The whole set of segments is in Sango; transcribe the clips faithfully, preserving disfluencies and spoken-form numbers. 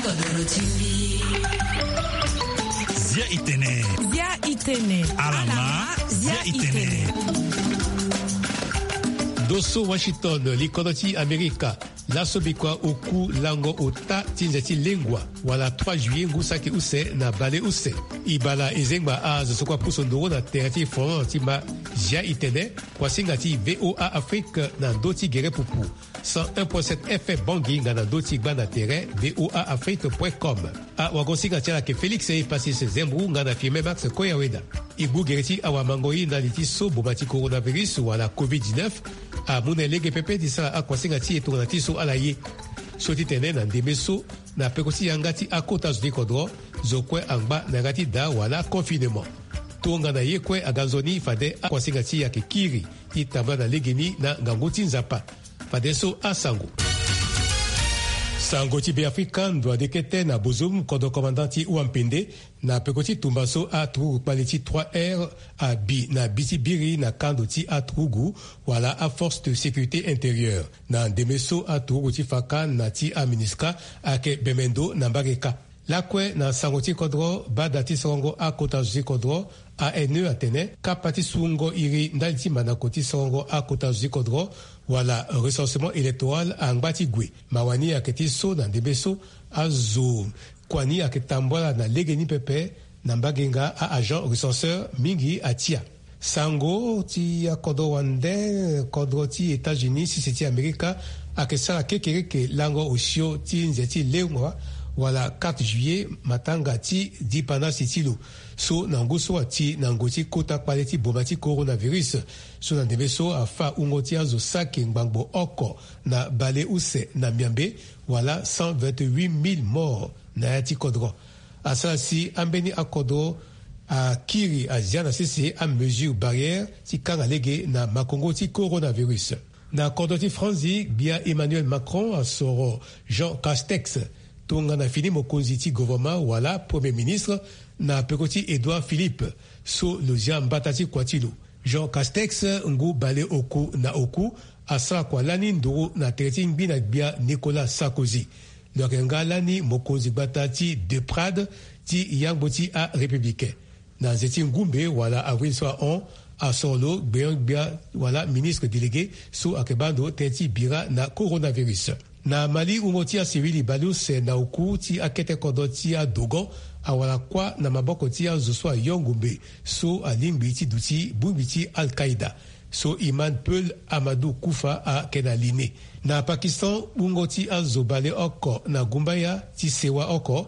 Zia itene. Zia itene. Alama. Zia itene. Ndo so Washington, likodro ti Amerika, laso bikua oku lango ota ti nze ti lengua wala trois juillet ngu saki use na bale use. E bala e zengba azo so kue apusu nduru na tere ti folon ti ma Zia itene, kuasinga ti VOA Afrique na ndö ti gere pupu. Cent un point sept F M Bangui nga na ndö ti gba na tere VOA Afrique point com. Awagosinga ti ala ayeke Félix Epasis Zembou nga na Firmin Max Koyaweda. E gbu gere ti awamangoi ndali ti so boma ti coronavirus wala covid dix-neuf amu na e lege pepe ti sara akuasinga ti e tongana ti so ala ye. So ti tene na ndembe so, na peko ti yanga ti akota zo ti kodro, zo kue angba na yanga ti daa wala confinement. Tongana ye kue aga nzoni, fade akuasinga ti e ayeke kiri ti tambula na legeni na ngangu ti Nzapa. Fadeso asango. Sango ti Beafrika, ndo ade kete na bozum kodro commandant ti Wampende, na peko ti tumba so aturugu kpale ti trois R abi na bi ti biri na kando ti aturugu wala aforce de sécurité intérieure. Na ndembe so aturugu ti Faka na ti aMINUSCA ayeke bembe ndo na mbage kâ. Lakue na sango ti kodro, bada ti sorongo akota zo ti kodro, A N E, atene kapa ti sungo iri ndali ti mandako ti sorongo akota zo ti kodro wala recensement électoral angba ti gue. Mawa ni ayeke ti so na ndembe so azo kua ni ayeke tambula na legeni pepe na mbage nga a-agent recenseur mingi atia. Sango ti akodro wande, kodro ti États-Unis, sese ti Amerika, ayeke sara kekereke lango osio ti nze ti lengua wala quatre juillet, matanga ti dipanasi ti lo. So na ngu so ati na ngoi ti kota kpale ti boma ti coronavirus. So na ndembe so afa wungo ti azo saki ngbangbo oko na bale use na Miambe, wala cent vingt-huit mille morts na ya ti kodro. Asara si ambeni akodro akiri azia na sese amesure barrière ti kanga lege na makongo ti coronavirus. Na kodro ti Franzi, gbia Emmanuel Macron asoro Jean Castex tongana fini mokonzi ti gouvernement wala Premier ministre na peko ti Édouard Philippe, so lo zia mbata ti kua ti lo. Jean Castex, ngu bale oku na oku, asara kua lani nduru na tere ti ngbi na gbia Nicolas Sarkozy. Lo yeke nga lani mokonzi gbata ti De Prade ti yangbo ti aRépublicain. Na nze ti ngumbe wala avril so ahon, asoro lo gbeon-gbia wala ministre délégué so ayeke baa ndo tënë ti bira na coronavirus. Na Mali, wungo ti asivili baleuse na oku ti akete kodro ti aDogon awara kuâ na maboko ti azo so ayo ngumbe so alingbi ti duti bongbi ti Al-Qaïda. So Imam Peul Amadou Kufa ayeke na li ni. Na Pakistan, wungo ti azo baleoko na gumbaya ti sewa oko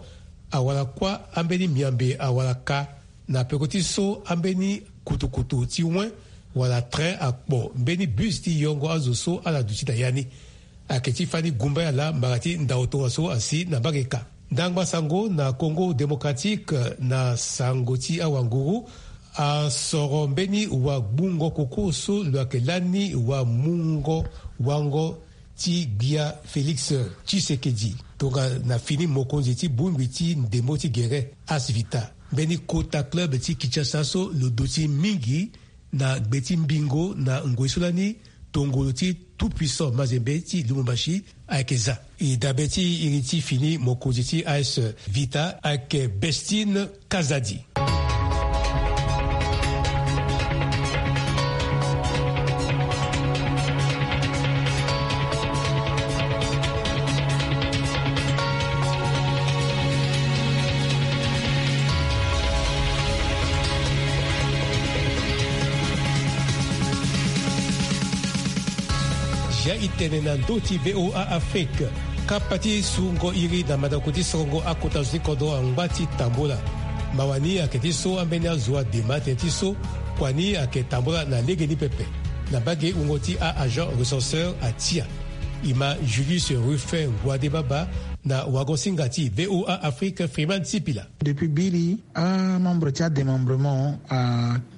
awara kuâ, ambeni miambe awara ka na peko ti so ambeni kutukutu ti wen wala train akpo mbeni bus ti yongo azo so ala duti na ya ni. Ayeke ti fani gumbaya laa mbara ti ndao tongaso asi na mbage kâ. Ndangba sango na Congo Démocratique, na sango ti awanguru, asoro mbeni wagbungo koko so lo yeke lani wamungo wango ti gbia Félix Tshisekedi tongana fini mokonzi ti bongbi ti ndembo ti gere, Asvita. Mbeni kota club ti Kinshasa so lo duti mingi na gbe ti mbingo na ngoi so lani tongolo ti Tout-Puissant Mazembe ti Lubumbashi ayeke za. E dabe ti iri ti fini mokonzi ti A S Vita ayeke Bestine Kazadi. Zia e tene na ndö ti VOA Afrique. Kapa ti sungo iri na mandako ti sorongo akota zo ti kodro angba ti tambula. Mawa ni ayeke ti so ambeni azo adema tënë ti so kua ni ayeke tambula na legeni pepe. Na mbage wungo ti a-agent recenseur atia. E ma Julius Ruffin Ngouadé Baba na wagosinga ti VOA Afrique, Freeman Sipila. Depuis biri, amembre ti adémembrement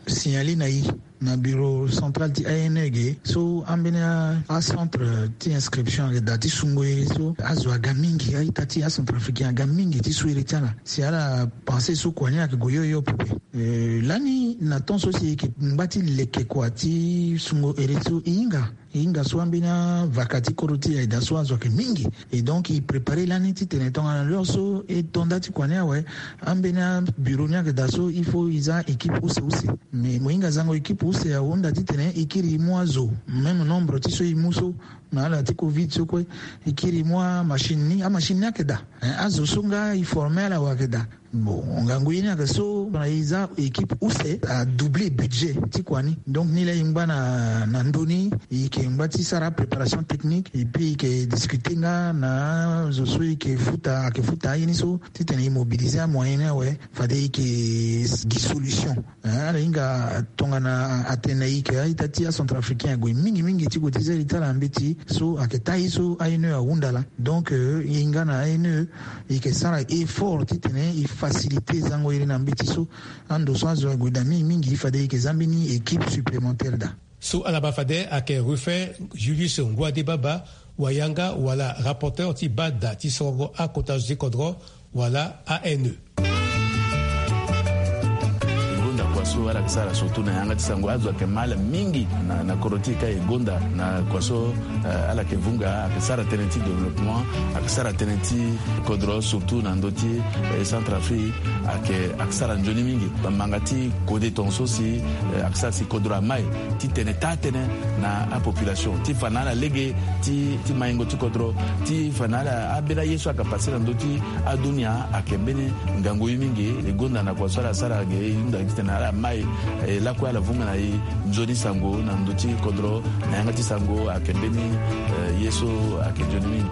asignalé na e na bureau central ti A N E ge so ambeni a, acentre ti inscription ayeke daa ti sungo iri so azo aga mingi, a-ita ti acentrafricain aga mingi ti su iri ti ala. Si ala pensé so kua ni ayeke gue hio hio pepe. Eh, lani Na temps so si e yeke ngba ti leke kua ti sungo ere so e hinga e hinga so ambeni avaka ti kodro ti e ayeke daa so azo ayeke mingi. Et donc e prépare lani titene tongana l'heure so e to nda ti kua ni awe, ambeni abureau ni ayeke daa so il faut e za équipe use use. Mais mo hinga zango équipe use ahunda titene e kiri e mu azo même nombre ti so e mu so. Na ala ti covid so kue e kiri e mu amachine ni amachine ni ayeke daa. Azo so nga e forme ala wa ayeke daa. Bon, ngangu ye ni ayeke so na e za équipe use a doubler budget ti kua ni. Donc ni laa e ngba na ndoni e yeke ngba ti sara préparation technique et puis e yeke discuter nga na zo so e yeke futa ayeke futa aye ni so titene e mobiliser amoyen ni awe. Fade e yeke gi solution. Ala hinga tongana atene e yeke a-ita ti acentrafricain ague mingi mingi ti gue ti zi ali ti ala na mbeti so ayeke taa ye so aine ahunda laa. Donc e hinga na aine e yeke sara effort titene e faciliter zango iri na mbeti so. Ando so azo ague daa mingi mingi fade e yeke za mbeni équipe supplémentaire daa. So ala ma fade ayeke Ruffin Julius Nguadebaba, wayanga wala rapporteur ti bada ti sorongo akota zo ti kodro wala aine. E gonda kua so ala yeke sara surtout na yanga ti sango azo ayeke ma ala mingi na kodro ti e ka e gonda na kua so. Ala yeke vunga ayeke sara tënë ti développement, ayeke sara tënë ti kodro surtout na ndö ti centre afrique. Ayeke ayeke sara nzoni mingi. Bamanga ti kode tonga so si ayeke sara si kodro amai titene taa tënë na apopulation ti fa na ala lege ti maingo ti kodro ti fa na ala ambeni aye so ayeke pase na ndö ti adunia ayeke mbeni ngangu ye mingi. E gonda na kua so ala sara ge e hunda titene ala mai e lakue ala vunga na e nzoni sango na ndö ti kodro na yanga ti sango ayeke mbeni ye so ayeke nzoni mingi.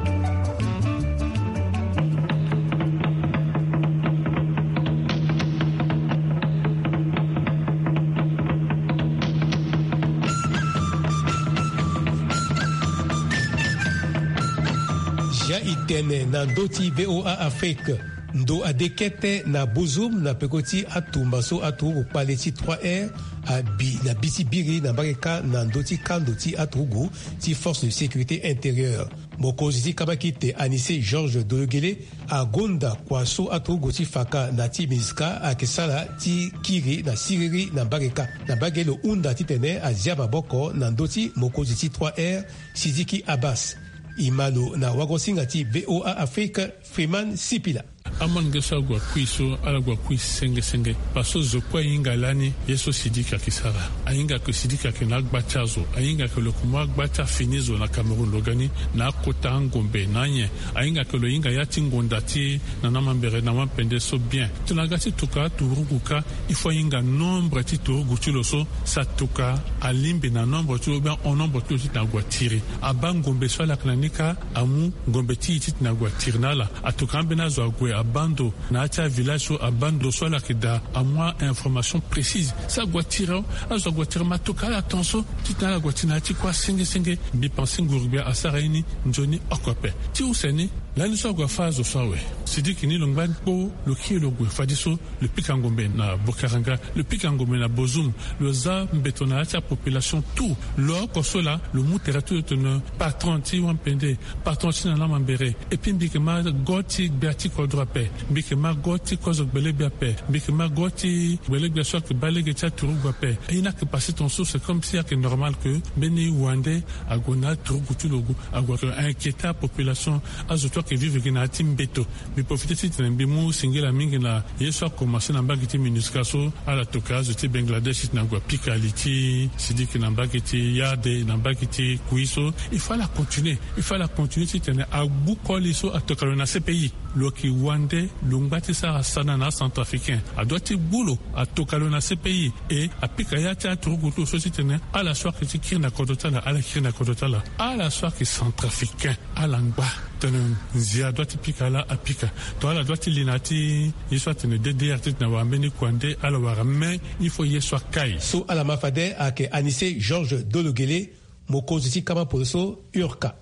Zia e tene na ndö ti VOA Afrique. Ndo ade kete na Bozoum na peko ti atumba so aturugu kpale ti trois R abi na bi ti biri na mbage kâ na ndö ti kando ti aturugu ti force de sécurité intérieure. Mokonzi ti kabakite Anissé Georges Dologuélé agonda kua so aturugu ti faka na ti MINUSCA ayeke sara ti kiri na siriri na mbage kâ. Na mbage lo hunda titene azia maboko na ndö ti mokonzi ti trois R Sidiki Abbas. E ma lo na wagosinga ti VOA Afrique, Freeman Sipila. Amolenge so agua kui so ala gua kui senge senge. Parce que zo kue ahinga lani ye so Sidiki ayeke sara. Ahinga ke Sidiki ayeke na agba ti azo. Ahinga ke lo yeke mu agba ti afini zo na Cameroun lo ga ni na akota angombe na anyen. Ahinga ke lo hinga ya ti ngonda ti na na mambere na wampende so bien. Tongana aga ti tuka aturugu kâ il faut ahinga nombre ti turugu ti lo so si atuka alingbi na nombre ti lo ou bien en nombre ti lo titene agua tiri. Abaa ngombe so ala yeke na ni kâ amu ngombe ti e titene agua tiri na ala. Atuka ambeni azo ague abaa ndo na ya ti avillage so abaa ndo so ala yeke daa amu a-information précise si agua tiri awe. Azo agua tiri ma atuka ala tongaso titene ala gua tiri na ya ti kua senge senge. Mbi pense nguru gbia asara ye ni nzoni oko ape. Ti use ni lani so agua fâ azo so awe. Sidiki ni lo ngba ni kpo lo kiri lo gue fadeso lo pika ngombe na Bokaranga, lo pika ngombe na Bozoum. Lo za mbeto na ya ti apopulation tout. Lo oko so laa lo mu tere ti lo tene patron ti wampende, patron ti na na mambere. Et puis mbi yeke ma go ti gbia ti kodro ape. Mbi yeke ma go ti kozo gbelegbia ape. Mbi yeke ma go ti gbelegbia so ayeke baa lege ti aturugu ape. Aye ni ayeke pase tongaso c'est comme si ayeke normal ke mbeni wande ague na aturugu ti lo ague inquiéter apopulation. Azo ti ayeke vivre gi na ya ti mbeto. Mbi profite titene mbi mu singila mingi na ye so akomanse na mbage ti MINUSCA so ala toka azo ti Bangladesh titene agua pika li ti Sidiki na mbage ti Yade na mbage ti Kui so. Il faut ala continuer. Il faut ala continuer titene agbu koli so atoka lo na CPI. Lo yeke wande lo ngba ti sara sana na acentrafricain. Adua ti gbu lo atoka lo na CPI. E apika ya ti aturugu ti lo so titene ala so ayeke ti kiri na kodro ti ala ala kiri na kodro ti ala. Ala so ayeke centrafricain ala ngba tene nzia adua ti pika ala apika. To ala dua ti li na ya ti ye so atene DDR titene awara mbeni kuande ala wara mais il faut ye so akai. So ala ma fade ayeke Anissé Georges Dologuélé, mokonzi ti kama poroso, URCA.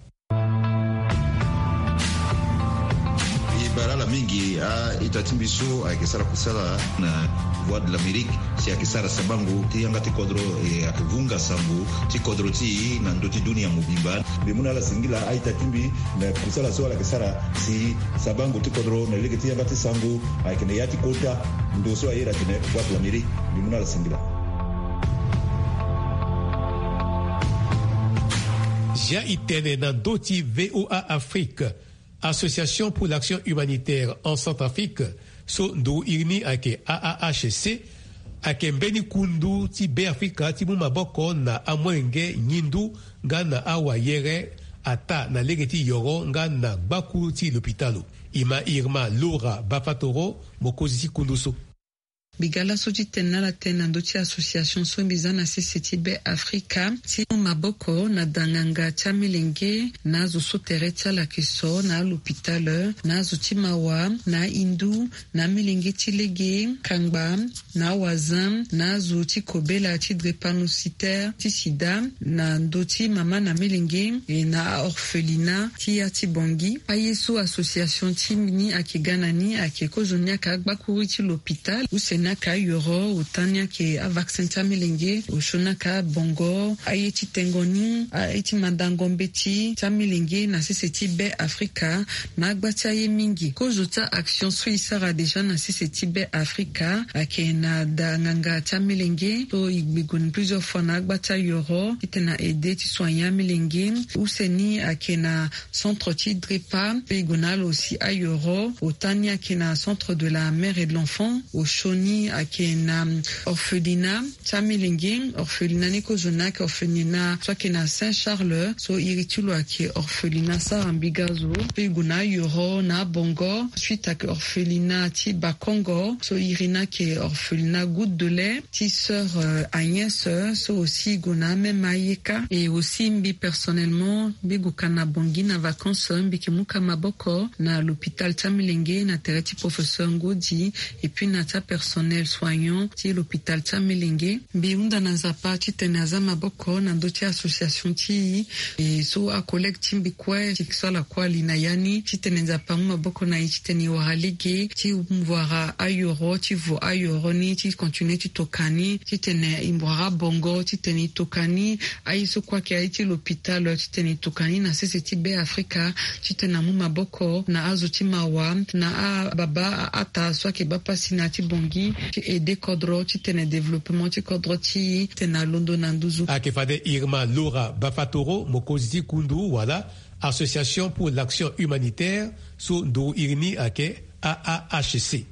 Ala mingi a-ita ti mbi so ayeke sara kusala na Voix de l'Amérique, si ayeke sara sabango ti yanga ti kodro, e ayeke vunga sango ti kodro ti e na ndö ti dunia mobimba. Mbi mu na ala singila a-ita ti mbi na kusala so ala yeke sara si sabango ti kodro na lege ti yanga ti sango ayeke na ya ti kota ndo so aye atene Voix de l'Amérique. Mbi mu na ala singila. Zia e tene na ndö ti VOA Afrique. Association pour l'Action Humanitaire en Centrafrique, so nduru iri ni ayeke A A H C, ayeke mbeni kundu ti Beafrika ti mu maboko na amolenge ngindu nga na awayere, ataa na lege ti yoro nga na gbakuru ti lopitalo. E ma Irma Laura Bafatoro, mokonzi ti kundu so. Mbi ga laso ti tene na ala tënë na ndö ti association so mbi za na sese ti Beafrika ti mu maboko na da nganga ti amilenge na azo so tere ti ala ayeke so na alopitale, na azo ti mawa, na ahindu, na amilenge ti lege, kangba, na awazin, na azo ti kobela ti drépanocytaire ti sida, na ndö ti mama na milenge, e na aorphelinat ti ya ti Bangui. Aye so association ti mbi ni ayeke ga na ni ayeke kozoni ayeke agbakuru ti lopitale, use ni ayeke ayoro, ota ni ayeke avaccin ti amilenge, osio ni ayeke abongo, aye ti tengo ni, aye ti mandango mbeti ti amilenge na sese ti Beafrika, na agba ti aye mingi. Kozo ti a-action so e sara déjà na sese ti Beafrika ayeke na da nganga ti amilenge so e gbi gue ni plusieurs fois na agba ti ayoro titene na aide ti soigner amilenge. Use ni ayeke na centre ti drepa, pe e gue na ala aussi ayoro. Ota ni ayeke na centre de la mère et de l'enfant. Osio ni ayeke na orphelinat ti amilenge. Orphelinat ni kozo ni ayeke orphelinat so ayeke na Saint Charles, so iri ti lo ayeke orphelinat Sara Mbiga zo. Pe e gue na ayoro na abongo. Suite ayeke orphelinat ti Bakongo, so iri ni ayeke orphelinat Goutte de lait ti sœur, euh, Agnès, euh, so aussi e gue na amême ayeka. Et aussi mbi personnellement, mbi gue ka na Bangui na vacances, mbi yeke mu ka maboko na l'hôpital ti amilenge na tere ti professeur Ngodi, et puis na ti apersonnel soignant ti l'hôpital ti amilenge. Mbi hunda na Nzapa titene aza maboko na ndö ti association ti e, e so acollègue ti mbi kue ti sala kue ali na ya ni, titene Nzapa amu maboko na e titene e wara lege ti wara ayoro, ti vo ayoro ni, ti continuer ti toka ni, titene e wara bongo, titene e toka ni. Aye so kue ayeke aye ti l'hôpital, titene e toka ni na sese ti Beafrika, titene amu maboko na azo ti mawa, na ababa, aata so ayeke baa pasi na ya ti Bangui, ti aide kodro titene développement ti kodro ti e titene alondo na nduzu. Ayeke fade Irma Laura Bafatoro, mokonzi ti kundu wala Association pour l'Action Humanitaire, so nduru iri ni ayeke A A H C.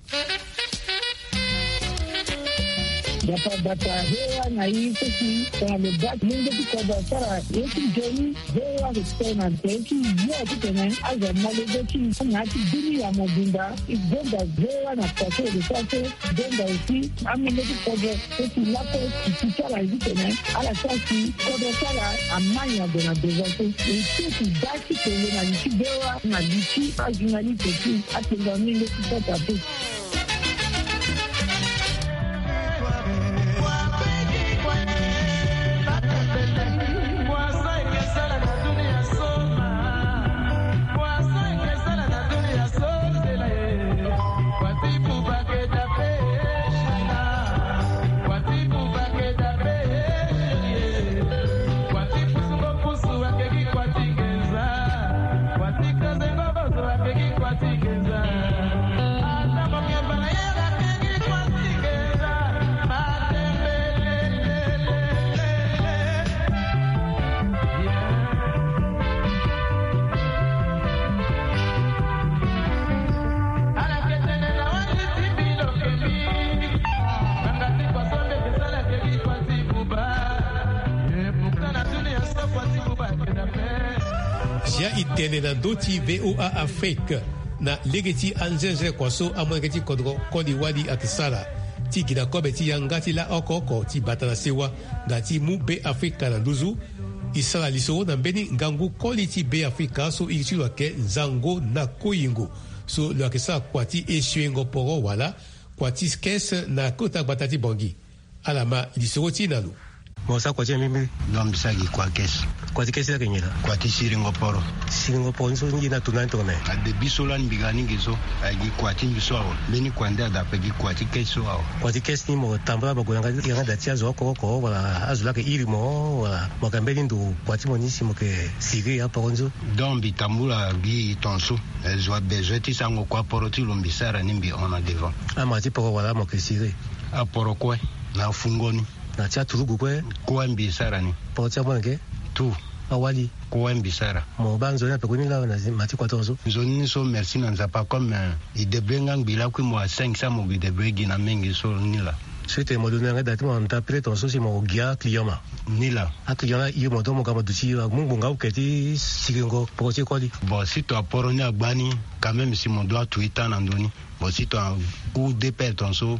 Bata bata, V O A na i so si tongana lo baa ti mungo ti kodro asara ye ti nzoni, V O A ayeke tene na tere ti yo titene azo amolenge ti i na ya ti dunia mobimba. E gonda V O A na kua so e lo sara so, e gonda aussi amolenge ti kodro so si lakue e ti sara titene ala sara si kodro ti ala amai ado na devant so. E so si baa ti tene na li ti V O A na li ti ajournaliste ti atengua mingi ti kota pe. Zia e tene na ndö ti V O A Afrique na lege ti anzenze kua so amolenge ti kodro koli wali ayeke sara ti gi na kobe ti yanga ti la oko oko ti bata na sewa nga ti mu Beafrika na nduzu. E sara lisoro na mbeni ngangu koli ti Beafrika so iri ti lo ayeke Nzango na Koyingo, so lo yeke sara kua ti esiwengo poro wala kua ti skes na kota gbata ti Bangui. Ala ma lisoro ti e na lo. Mo sa kua ti mbi mbiri. Donc mbi sa gi kua kesi. Kua ti kesi lake nyen la? Kua ti siringo poro. Siringo poro ni so ni ye ni ato na ni tongana nyen? Adebi so lani mbi ga ni gi so, aye gi kua ti mbi so awe. Mbeni kua nde ada ape gi kua ti kesi so awe. Kua ti kesi ni mo tambula ba gue na yanga da ti azo oko oko wala azo lake iri mo wala mo yeke mbeni ndo kua ti mo ni si mo yeke siri aporo ni so? Donc mbi tambula gi tongaso. Eh, zo abezoin ti sarango kua poro ti lo mbi sara ni mbi hon na devant. Ama ti poro wala mo yeke siri? Aporo kue na afungo ni. Na ti aturugu kue? Kue mbi sara ni. Poro ti amolenge? Tout. Awali? Kue mbi sara. Mo baa nzoni ape kue ni laa na zi-, ma ti kua tongaso? Nzoni ni so merci na Nzapa comme, eh, e débrouiller nga ngbi lakui mo a cinq cents mo gi débrouiller gi na mingi so ni laa. So ete mo londo na yanga da ti mo na nda pele tongaso si mo gi aclient ma? Ni laa. Aclient la iri mo donc mo ga mo duti amu ngbonga oke ti siringo poro ti koli? Bon si to aporo ni agba ni quand même si mo doit tuer temps na ndo ni. Bon si to ahu deux paires tongaso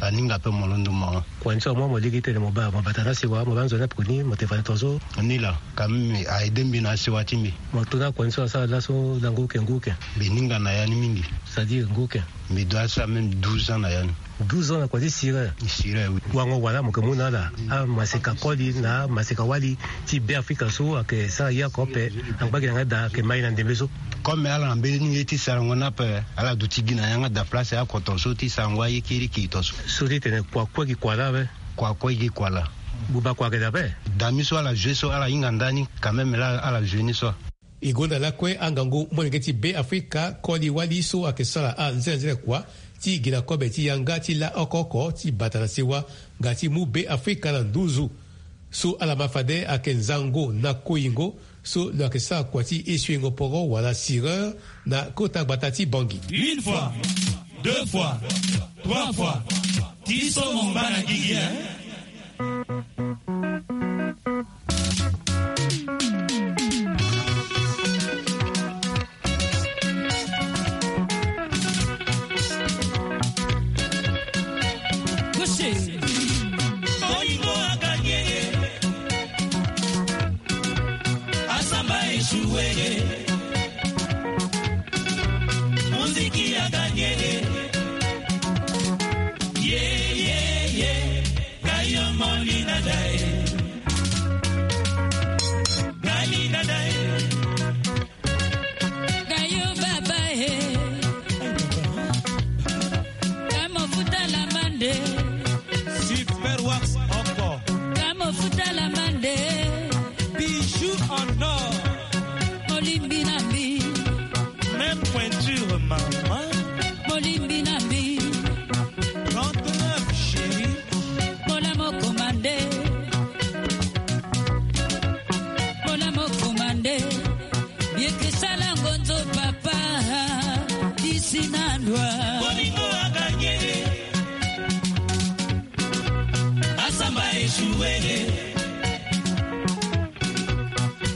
aninga ape mo londo mo hon. Kua ni so amu mo lege tene mo baa mo bata na asewa mo baa nzoni ape kue ni mo te fade tongaso? Ni laa. Quand même a aidé mbi na asewa ti mbi. Mo to na kua ni so asara laso na ngu oke ngu oke? Mbi ninga na ya ni mingi. C'est-à-dire ngu oke? Mbi doit asara même douze ans na ya ni. Douze ans na kua ti sireur? Sireur oui. Wango wala mo yeke mu na ala amaseka koli na amaseka wali ti Beafrika so ayeke sara ye oko ape, angba gi na yanga da ayeke ma e na ndembe so? Comme ala na mbeni ye ti sarango ni ape, ala duti gi na yanga da place oko tongaso ti sarango aye kirikiri tongaso. So ti tene kua kue gi kua laa ape? Kua kue gi kua laa. Buba kua ayeke daa ape? Dami so ala joue so ala hinga ndani quand même laa ala joue ni so. E gonda lakue angangu molenge ti Beafrika koli wali so ayeke sara anzenanzena kua ti gi na kobe ti yanga ti la oko oko ti bata na sewa nga ti mu Beafrika na nduzu. So ala ma fade ayeke nzango na koyingo so lo yeke sara kua ti esuengo poro wala sireur na kota gbata ti Bangui. Une fois, deux fois, trois fois. Ti so mo ngba na gigi, hein? Bolingo aganye, asamba echoué. Muziki aganye. Ye, ye, ye. Kayo molinda dae. Galinda dae. Kayo baba e. Kamo futa la mande. Super Wax oko. Kamo futa la mande. Bijoux en or. Molimbi na mbi. Même pointure, maman. Molimbi na mbi. Trente-neuf, chérie. Mola mo commandé. Mola mo commandé. Yeke sala ngonzo papa. Disi na ndwa. Bolingo aganye. Asamba echoué.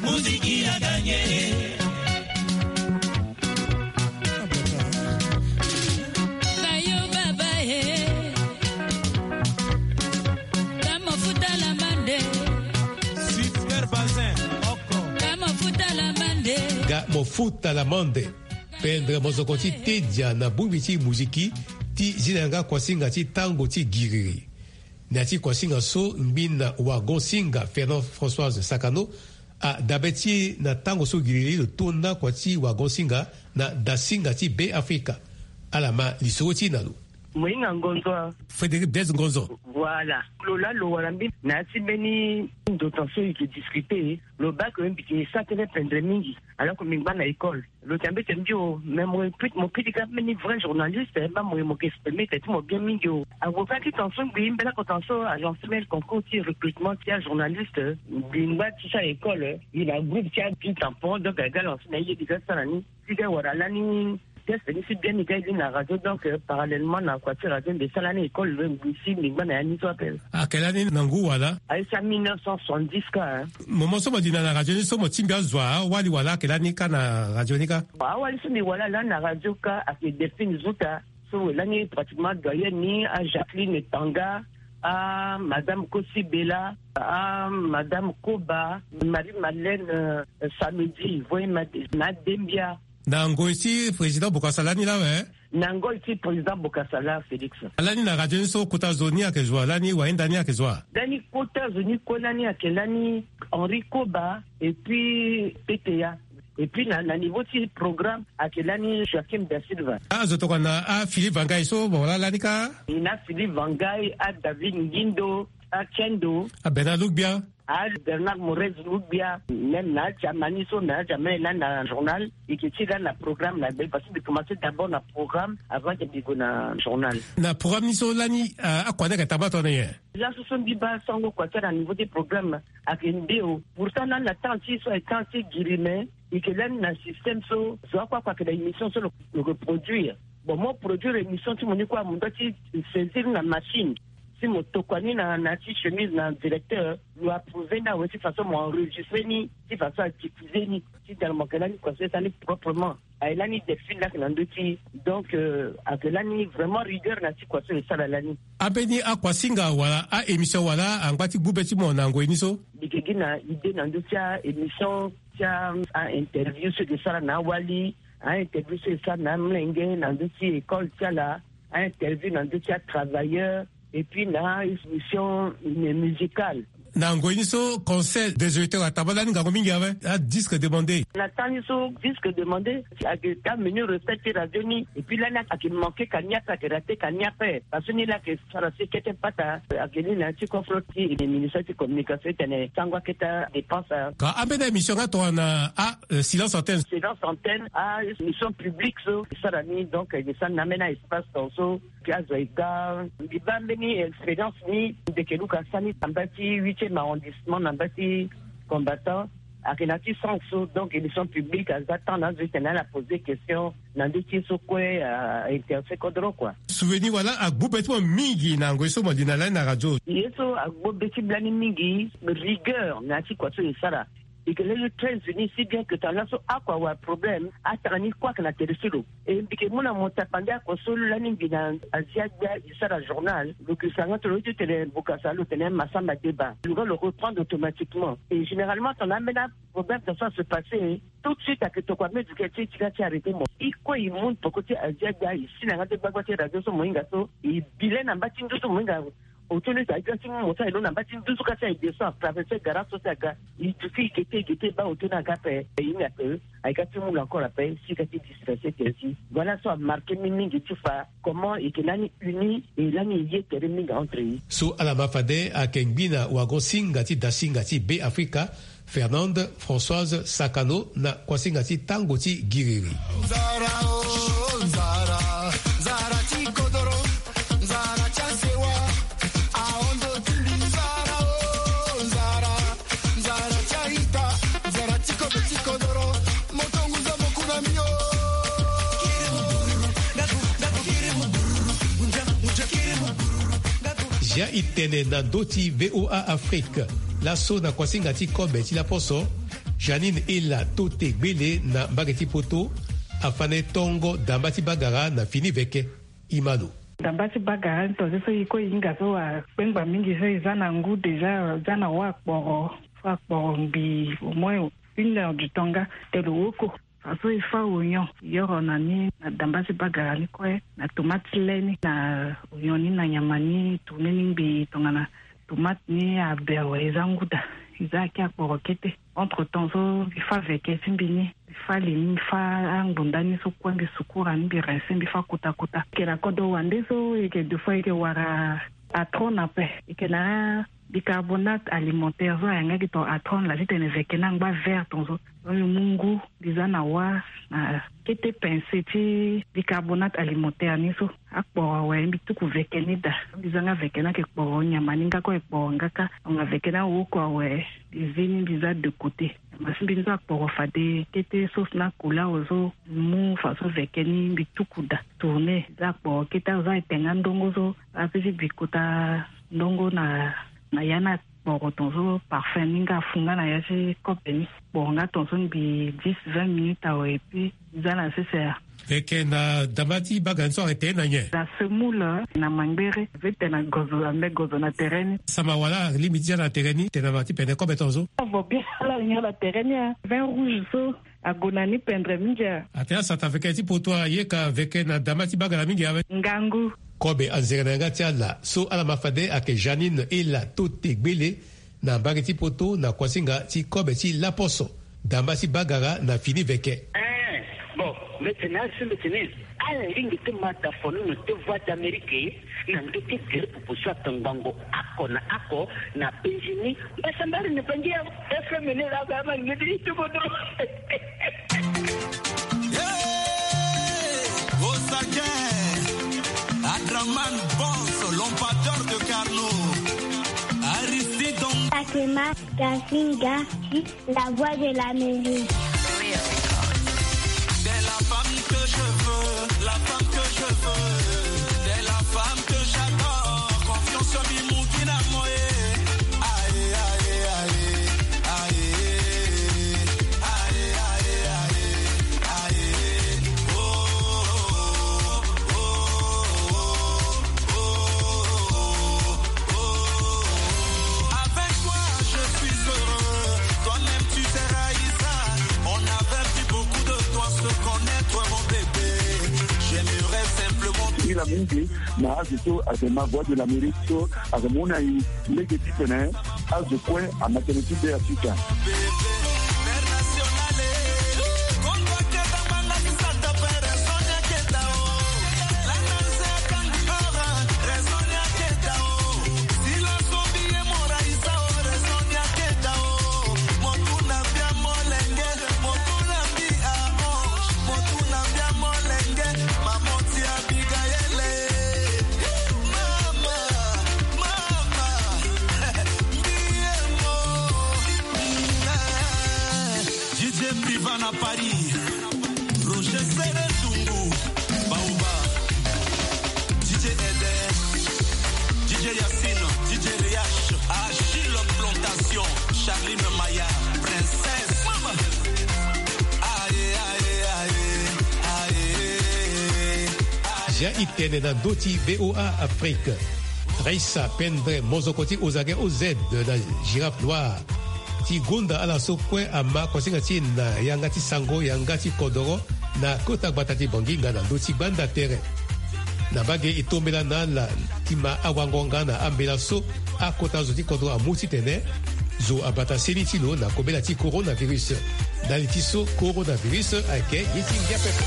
Muziki aganye. Kayo baba e. Kamo futa la mande. Super Bazin oko. Kamo futa la mande. Ga mo futa la mande. Pendre mozoko ti tedia na bongbi ti muziki ti zi na yanga kuasinga ti tango ti giriri. Na ya ti kuasinga so ngbina wagon singa Fernand Françoise Sakano adabe ti e na tango so giriri lo to na kua ti wagon singa na dasinga ti Beafrika. Ala ma lisoro ti e na lo. Mo hinga ngonzo a? Frédéric Blaise Ngonzo. Voilà. Lo laa lo wara mbi na ya ti mbeni ndo tan so e yeke discuter, lo baa ke mbi yeke sa tënë pendre mingi. Alors que mbi ngba na école. Lo tene mbi tene mbi o, mais mo ye pit-, mo piti ka mbeni vrai journaliste, eh, baa mo ye mo yeke exprimer tene ti mo bien mingi o. Avocat ti tan so ngbii mbela ko tan so a lancer mbeni concours ti recrutement ti ajournaliste, eh, mbi ngba ti sa école, eh, mbi na groupe ti api tampon, donc aga lancer na ye mbi ga sara ni. Ti ga wara lani test ni si bien mbi ga ye ni na radio, donc, eh, parallèlement na kua ti radio mbi sara lani école, eh, mbi si mbi ngba na ya ni so ape. Ayeke lani na ngu wala? Aye si a mille neuf cent soixante-dix ka, hein. Moment so mo li na na radio ni so mo tingbi azo awali wala ayeke lani ka na radio ni ka? Awali so mbi wala lani na radio ka ayeke Delphine Zuta. So lani pratiquement doyenne ni, a Jacqueline Tanga, a Madame Kosi Bella, a Madame Koba, Marie Madeleine, euh, Samedi, voye ma, na Dembia. Na ngoi ti président Bokassa lani la awe, Na ngoi ti président Bokassa Félix. Lani na radio ni so kota zo ni ayeke zo wa, lani wayenda ni ayeke zo wa? Lani kota zo ni kue lani ayeke lani Henri Koba et puis P T A. Et puis na, na niveau ti programme ayeke lani Joachim da Silva. Ah, zo tokua na ah, Philippe Vangai so, bon, wala lani kâ? E na Philippe Vangai, ah, David Ngindo, ah, Kendo. Ah, Bernard Lougbia. Ah, Bernard Morez Lougbia, même na Germany so, na Germany lani na journal, e ke ti lani na programme na be, parce que mbi commencé d'abord na programme avant que mbi gue na journal. Na programme ni so lani, ah, akua ni ayeke tamba tongana nyen? Laso so mbi baa sango kua ti ala na niveau ti programme ayeke nde o. Pourtant lani na temps ti so ayeke temps ti giri, mais e ke lani na système so zo akua akua ayeke na émission so lo, lo ke produire. Bon, mo produire émission ti mo ni kue, mo doit ti saisir na machine. Si mo tokua ni na, na ti chemise na directeur, lo approuver ni awe ti façon mo enregistrer ni, ti façon a diffuser ni. Ti tene mo yeke lani kua so e sara ni proprement. Aye lani Delphine laa ayeke na ndö ti. Donc, euh, ayeke lani vraiment rigueur na ti kua so e sara lani. Ambeni akuasinga wala a-émission wala angba ti gbu be ti mo na ngoi ni so? Mbi yeke gi na idée na ndö ti a-émission ti a, a-interview so e ke sara na awali, a-interview so e sara na amolenge na ndö ti école ti ala, a-interview na ndö ti a-travailleur, et puis na émission musicale. Na ngoi ni so, Conseil des auditeurs atamba lani ngangu mingi awe, a-disque demandé. Na temps ni so, disque demandé, ayeke ka menu recette ti radio ni, et puis lani ayeke manqué ka ni ape, ayeke raté ka ni ape. Parce que ni laa ayeke sara si kete pata, ayeke ni na ya ti confront ti ministère ti communication ti tene sango akete dépense. Ka ambeni émission nga tongana, ah, euh, silence antenne. Silence antenne, ah, émission publique so e sara ni, donc e sara na ambeni espace tongaso. Ti azo e ga, mbi baa mbeni expérience ni, ndeke luka sani na mba ti huitième arrondissement, na mba ti Combattant, ayeke na ti sens so, donc émission publique aza temps na azo ti tene ala poser question na ndö ti ye so kue a intéressé kodro kua. Souvenir wala agbu be ti mo mingi na ngoi so mo li na lani na radio? Ye so agbu be ti mbi lani mingi, rigueur na ya ti kua so e sara. E ke lani très unis, si bien que tongana laso akua awe problème, atanga ni kue ayeke na tere ti lo. E mbi ke mu na mo tapande akua so lani mbi na Asia Gbia e sara journal, lo ke sara nga ti lo ti tene Bokassa, lo tene Massamba Deba. Lo ga lo reprendre automatiquement. Et généralement tongana ambeni problème tongaso a se passer, tout de suite ayeke tokua meziki ti e ti ga ti arrêter mo. E kue e mu peko ti Asia Gbia, e si na nga ti gbagba ti radio so mo hinga so, e bi le na mba ti nduzu mo hinga. Auto ni ayeke ga ti mu mo so aye lo na mba ti nduzu ka ti aye descend, atraverser garage so ti aga. E duti e gete, e gete, e baa auto ni aga ape. E ye ni ape, ayeke ga ti mu lo encore ape, si e ga ti disperser tere ti. Voilà so amarqué mbi mingi ti fa comment e yeke lani uni, e lani e ye tere mingi entre e. So ala ma fade ayeke ngbi na wago-singa ti dasinga ti Be Afrika, Fernande Françoise Sakano, na kuasinga ti tango ti giriri. Nzara o, nzara, nzara ti kodoro, nzara ti asewa, ahondo ti mbi. Nzara o, nzara, nzara ti a-ita, nzara ti kobe ti kodoro, mo tonguza mo ku na mbi o. Zia e tene na ndö ti V O A Afrique. Laso na kuasinga ti kobe ti laposo, Janine Ela Tote Gbele na mbage ti Poto afande tongo damba ti bagara na fini veke. E ma lo. Damba ti bagara ni tongaso e kue e hinga so akpengba mingi so e za na ngu déjà, za na wâ akporo, so akporo ngbii au moins une heure du temps nga tene lo woko. Fa so e fâ oignon, e yoro na ni na damba ti bagara ni kue, na tomate ti le ni, na oignon ni, na nyama ni, tourner ni ngbii tongana tomate ni abe awe, e za ngu daa, e za aki akporo kete. Entre temps so mbi fâ veke ti mbi ni, mbi fâ li ni, mbi fâ angbonda ni so kue, mbi sukura ni, mbi rincer, mbi fâ kota kota. E yeke na kodro wande so, e yeke deux fois, e yeke wara atron ape, e yeke na bicarbonate alimentaire so ayeke nga gi tongana atron laa ti tene veke ni angba vert tongaso. Donc mbi mu ngu, mbi za na wâ na kete pincée ti bicarbonate alimentaire ni so. Akporo awe mbi tuku veke ni daa. Mbi za nga veke ni ayeke kporo nyama ni nga kue, ayeke kporo nga kâ. Donc veke ni awoko awe, mbi zi ni, mbi za de côté. Nyama ti mbi ni so akporo fade kete, sauce ni akula awe so, mbi mu fadeso veke ni, mbi tuku daa, tourner. Mbi za akporo kete, azo ayeke te nga ndongo so, ape ti bi kota ndongo na, na ya ni akporo tongaso, parfum ni nga afu nga na ya ti kobe ni. Kporo nga tongaso ngbii dix, vingt minutes awe, et puis mbi za na sese. E yeke na damba ti bagara ni so ayeke tene na nyen? Na semoule, na mangbere, mbi tene na gozo, ambe gozo na tere ni. Sama wala alingbi ti za na tere ni, tene na ma ti pene kobe tongaso. Avo bien ala alingi ala na tere ni, ah. Vin rouge so, Ague na ni pendre mingi. Atene asata veke ti poto aye ka veke na dama ti bagala mingi awe. Ngangu. Kobe anzere na yanga ti ala so ala ma fade ayeke Janine Ela Tote Gbele, na mbage ti poto na kuasinga ti kobe ti laposo, dama ti bagara na fini veke. Eh, bon, mbi tene asi mbi tene ala lingbi ti ma da fonono ti Voix d'Amérique na ndö ti gere pupu so atongbango oko na oko na Benjini. Mbasambari ni bangi ya F M ni la ba ma ngedi ti bodo. Hey, Osage, Adraman Boss, l'ambassadeur de Carnot, Aristide Dom- Takema, Gasinga, la voix de l'Amérique. C'est la femme que je veux, la femme que je veux. C'est la femme que j'adore. Confiance en Bimouki na moi. Aïe, aïe, aïe, aïe. Avec toi, je suis heureux. Toi-même, tu sais, Raïssa, on avait pris beaucoup de temps à se connaître, mon bébé. J'aimerais simplement. Mila mingi na azo so ayeke ma Voix de l'Amérique so ayeke mu na e lege ti tene azo kue ama tënë ti be ya sika. D J Priva na Paris, Roger Sere Dungu, Baoba, D J Eder, D J Yacine, D J Riach, Achille Plantation, Charline Maya, Princesse. Mama. Aye, aye, aye, aye, aye. Zia e tene na ndö ti V O A Afrique. Raissa Pendre, mozoko ti Ozage O Z de la Girafe Noire, ti gonda ala so kue ama kosinga ti e na yanga ti sango, yanga ti kodoro, na kota gbata ti Banginga na ndö ti gbanda tere. Na mbage e tombela na ala ti ma awango nga na ambela so akota zo ti kodro amu titene zo abata seni ti lo na kobela ti coronavirus. Ndali ti so coronavirus ayeke ye ti ngia pepe.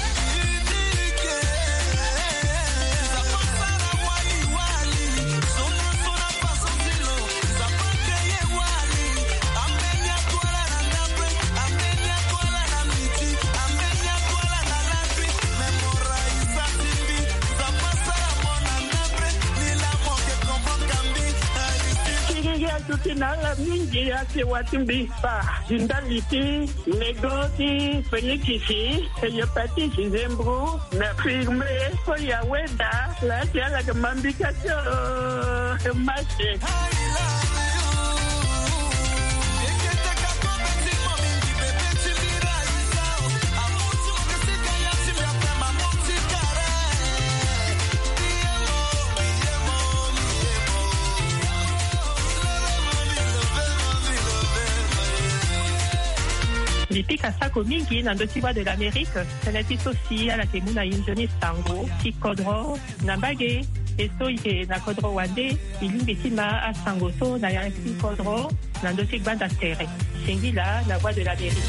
Kiri ya tuti na ala mingi ya sewa ti mbi. Ba, di ndali ti nego ti fenikisi, hepatite, zembro, na firme, so ya weda, la ti ala ke mambika ti, oh, mase. Mbi pika sako mingi na ndö ti Voix de l'Amérique, tënë ti so si ala yeke mu na e nzoni sango ti kodro na mbage, e so e yeke na kodro wande, e lingbi ti ma asango so na yanga ti kodro na ndö ti gbanda tere. Singila na Voix de l'Amérique.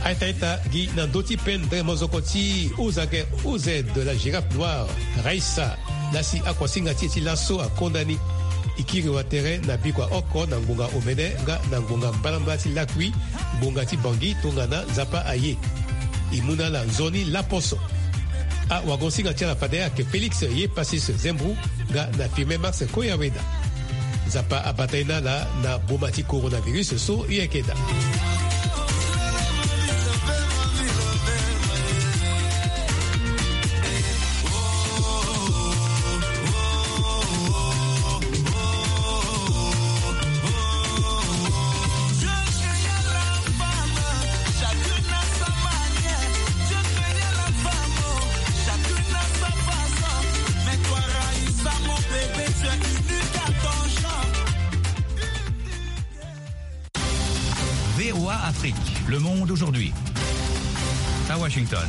Aita aita gi na ndö ti pendre mozoko ti Ozage O Z de la Girafe Noire, Raissa, la si akuasinga ti e ti laso akonda ni. E kiri watere na bikua oko na ngbonga omene nga na ngbonga mbalambala ti lakui, ngbonga ti Bangui tongana Nzapa aye. E mu na ala nzoni laposo. Awagonsinga ti ala fade ayeke Félix Yepassis Zembou nga na Firmin Max Koyaweda. Nzapa abata ye na ala na boma ti coronavirus so e yeke daa. V O A Afrique, le monde aujourd'hui. À Washington.